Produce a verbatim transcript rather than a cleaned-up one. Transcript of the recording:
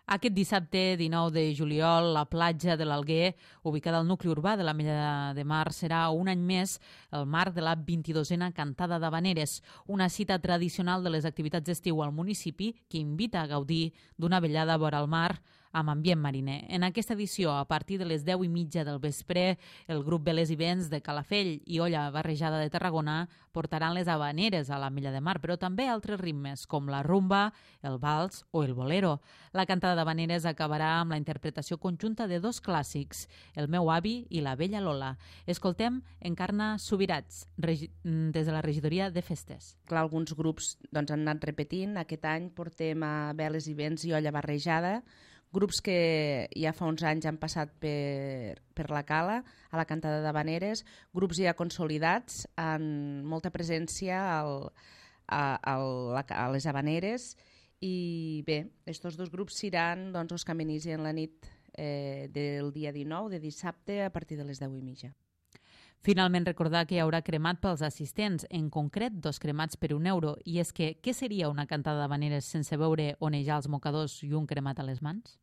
Aquest dissabte dinou de juliol, la platja de l'Alguer, ubicada al nucli urbà de l'Ametlla de Mar, serà un any més el marc de la vint-i-dosena Cantada d'Havaneres, una cita tradicional de les activitats d'estiu al municipi que invita a gaudir d'una vellada vora el mar amb ambient mariner. En aquesta edició, a partir de les deu i mitja del vespre, el grup Velers i Vents de Calafell i Olla Barrejada de Tarragona portaran les havaneres a l'Ametlla de Mar, però també altres ritmes com la rumba, el vals o el bolero. La cantada d'havaneres acabarà amb la interpretació conjunta de dos clàssics, El meu avi i La vella Lola. Escoltem Encarna Subirats, regi- des de la regidoria de festes. Clar, alguns grups doncs, han anat repetint. Aquest any portem a Velers i Vents i Olla Barrejada, grups que ja fa uns anys han passat per, per la Cala, a la cantada d'havaneres, grups ja consolidats, amb molta presència al, a, a, la, a les havaneres. I bé, aquests dos grups seran doncs, els que amenicen la nit eh, del dia dinou, de dissabte, a partir de les deu i mitja. Finalment, recordar que hi haurà cremat pels assistents, en concret dos cremats per un euro. I és que, què seria una cantada d'havaneres sense veure onejar els mocadors i un cremat a les mans?